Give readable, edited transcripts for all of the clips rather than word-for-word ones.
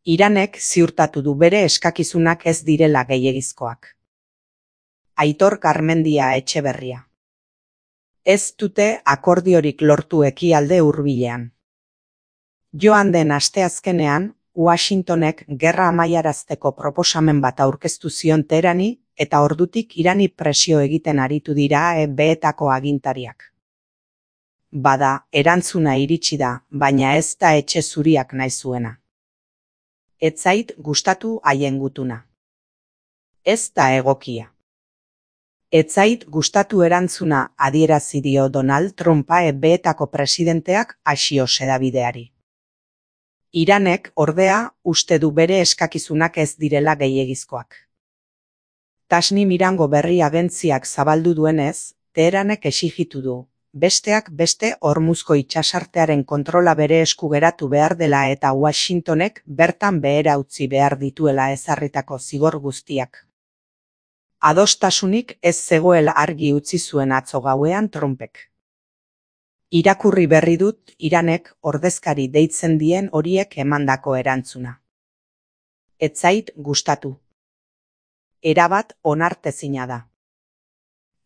Iranek ziurtatu du bere eskakizunak ez direla gehiegizkoak. Aitor Garmendia Etxeberria. Ez dute akordiorik lortu ekialde hurbilean. Joan den asteazkenean, Washingtonek gerra amaiarazteko proposamen bat aurkeztu zion Teherani eta ordutik Irani presio egiten aritu dira EB-etako agintariak. Bada, erantzuna iritsi da, baina ez da etxe zuriak nahi zuena. Ez zait gustatu haien gutuna. Ez da egokia. Ez zait gustatu erantzuna adierazi dio Donald Trumpa EB-etako presidenteak Axios hedabideari. Iranek, ordea, uste du bere eskakizunak ez direla gehiegizkoak. Tasnim Irango berri agentziak zabaldu duenez, Teheranek exijitu du, besteak beste Hormuzko itsasartearen kontrola bere esku geratu behar dela eta Washingtonek bertan behera utzi behar dituela ezarritako zigor guztiak. Adostasunik ez zegoela argi utzi zuen atzo gauean Trumpek. Irakurri berri dut Iranek ordezkari deitzen dien horiek emandako erantzuna. Ez zait gustatu. Erabat onartezina da.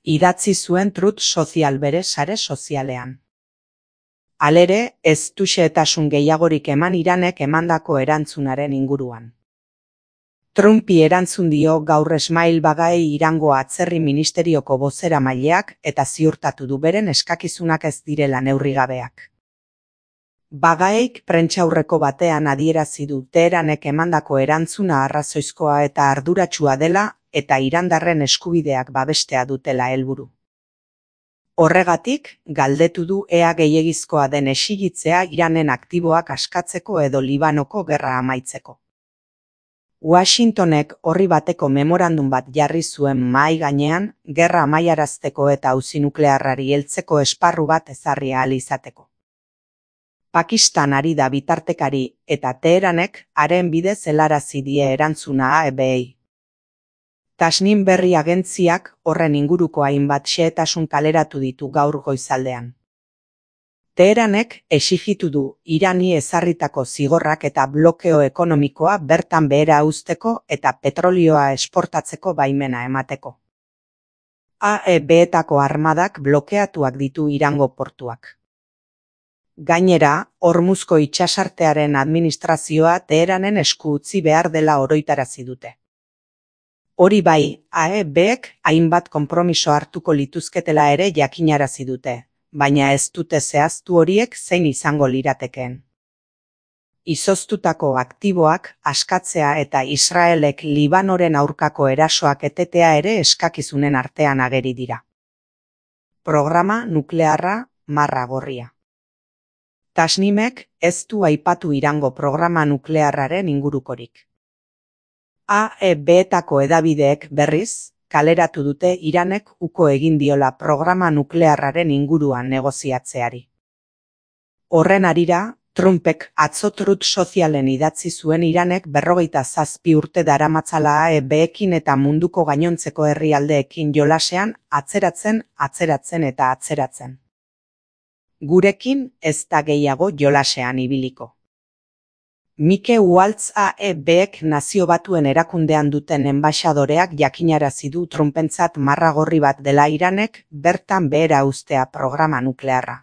Idatzi zuen Truth Social bere sare sozialean. Halere, ez du xehetasun gehiagorik eman Iranek emandako erantzunaren inguruan. Trumpi erantzun dio gaur Esmail Bagaei Irango atzerri ministerioko bozeramaileak eta ziurtatu du beren eskakizunak ez direla neurrigabeak. Bagaeik prentsaurreko batean adierazi du Teheranek emandako erantzuna arrazoizkoa eta arduratsua dela eta irandarren eskubideak babestea dutela helburu. Horregatik, galdetu du ea gehiegizkoa den exigitzea Iranen aktiboak askatzeko edo Libanoko gerra amaitzeko. Washingtonek orri bateko memorandum bat jarri zuen mahai gainean, gerra amaiarazteko eta auzi nuklearrari heltzeko esparru bat ezarri ahal izateko. Pakistan ari da bitartekari eta Teheranek haren bidez helarazi die erantzuna EB-ei. Tasnim berri agentziak horren inguruko hainbat xehetasun kaleratu ditu gaur goizaldean. Teheranek exijitu du Irani ezarritako zigorrak eta blokeo ekonomikoa bertan behera uzteko eta petrolioa esportatzeko baimena emateko. EB-etako armadak blokeatuak ditu Irango portuak. Gainera, Hormuzko itsasartearen administrazioa Teheranen esku utzi behar dela oroitarazi dute. Hori bai, EB-ek hainbat konpromiso hartuko lituzketela ere jakinarazi dute. Baina ez dute zehaztu horiek zein izango liratekeen. Izoztutako aktiboak askatzea eta Israelek Libanoren aurkako erasoak etetea ere eskakizunen artean ageri dira. Programa nuklearra marra gorria. Tasnimek ez du aipatu Irango programa nuklearraren ingurukorik. EB-etako hedabideek berriz, kaleratu dute Iranek uko egin diola programa nuklearraren inguruan negoziatzeari. Horren harira, Trumpek atzo Truth Socialen idatzi zuen Iranek 57 urte daramatzala EB-ekin eta munduko gainontzeko herrialdeekin jolasean atzeratzen eta atzeratzen. Gurekin ez da gehiago jolasean ibiliko. Mike Waltz EB-ek Nazio Batuen erakundean duten enbaxadoreak jakinarazi du Trumpentzat marra gorri bat dela Iranek bertan behera uztea programa nuklearra.